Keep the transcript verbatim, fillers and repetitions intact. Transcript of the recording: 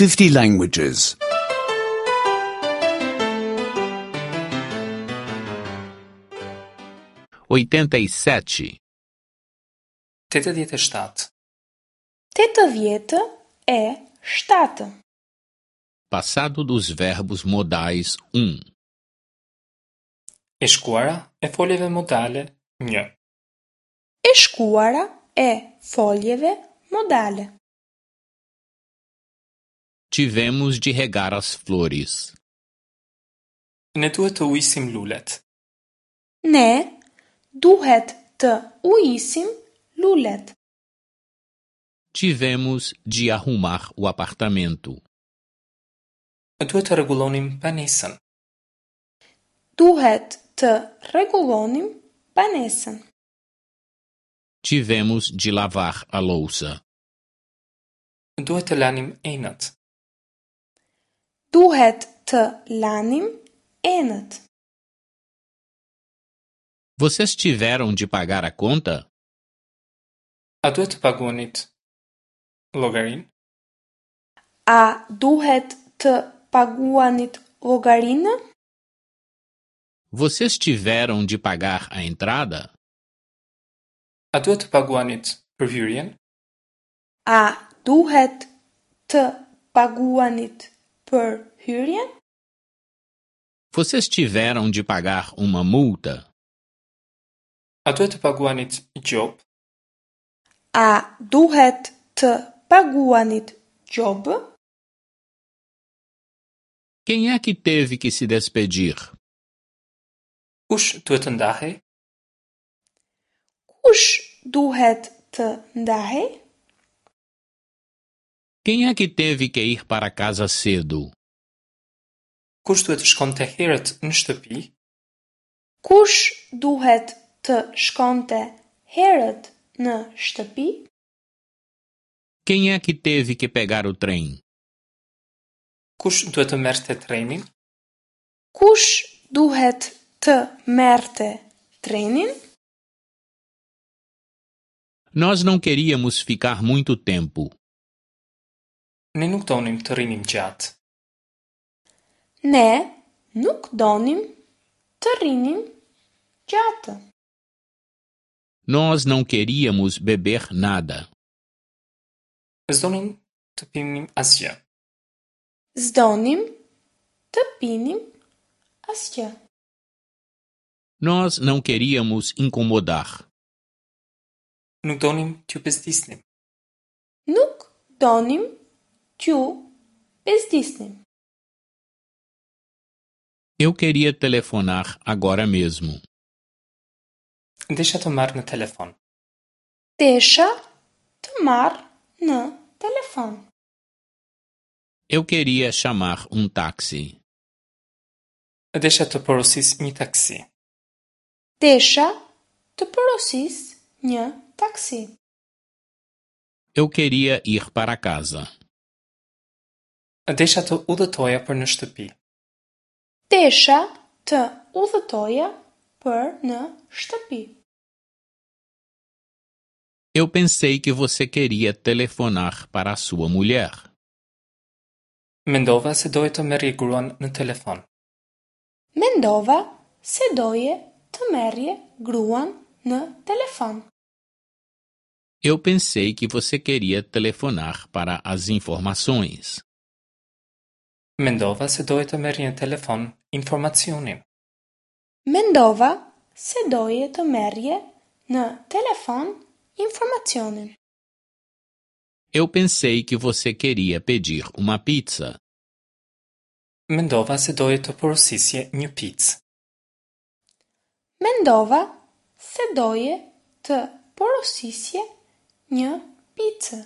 fifty languages. oitenta e sete, Tetëdhjetë e shtatë. Tetëdhjetë e shtatë. Passado dos verbos modais um. E shkuara e foljeve modale një. E shkuara e foljeve modale. Tivemos de regar as flores. Ne duhet të ujisim lulet. Ne duhet të ujisim lulet. Tivemos de arrumar o apartamento. Duhet të rregullonim banesën. Duhet të rregullonim banesën. Tivemos de lavar a louça. Duhet të lanim enët. Duhet të lanim enët. Vocês tiveram de pagar a conta? A duhet të paguanit llogarinë? A duhet të paguanit llogarinë? Vocês tiveram de pagar a entrada? A duhet të paguanit për hyrjen? A duhet të paguanit për hyrjen? Vocês tiveram de pagar uma multa? A duhet të paguanit gjobë? A duhet të paguanit gjobë? Quem é que teve que se despedir? Kush duhet të ndahej? Kush duhet të ndahej? Quem é que teve que ir para casa cedo? Kush duhet të shkonte herët në shtëpi? Kush duhet të shkonte herët në shtëpi? Quem é que teve que pegar o trem? Kush duhet të merrte trenin? Kush duhet të merrte trenin? Nós não queríamos ficar muito tempo. Ne nuk donim të rrinim gjatë. Ne nuk donim të rrinim gjatë. Nós não queríamos beber nada. S'donim të pinim asgjë. S'donim të pinim asgjë. Nós não queríamos incomodar. Nuk donim t'ju bezdisnim. Nuk donim t'ju bezdisnim. Eu queria telefonar agora mesmo. Desha të marr në telefon. Desha të marr në telefon. Eu queria chamar um táxi. Desha të porosis një taksi. Desha të porosis një taksi. Eu queria ir para casa. Desha të udhëtoja për në shtëpi. Desha të udhëtoja për në shtëpi. Eu pensei que você queria telefonar para sua mulher. Mendova se doje të merrje gruan në telefon. Mendova se doje të merrje gruan në telefon. Eu pensei que você queria telefonar para as informações. Mendova se doje të merrje në telefon informacionin. Mendova se doje të merrje në telefon informacionin. Eu pensei que você queria pedir uma pizza. Mendova se doje të porosisje një picë. Mendova se doje të porosisje një picë.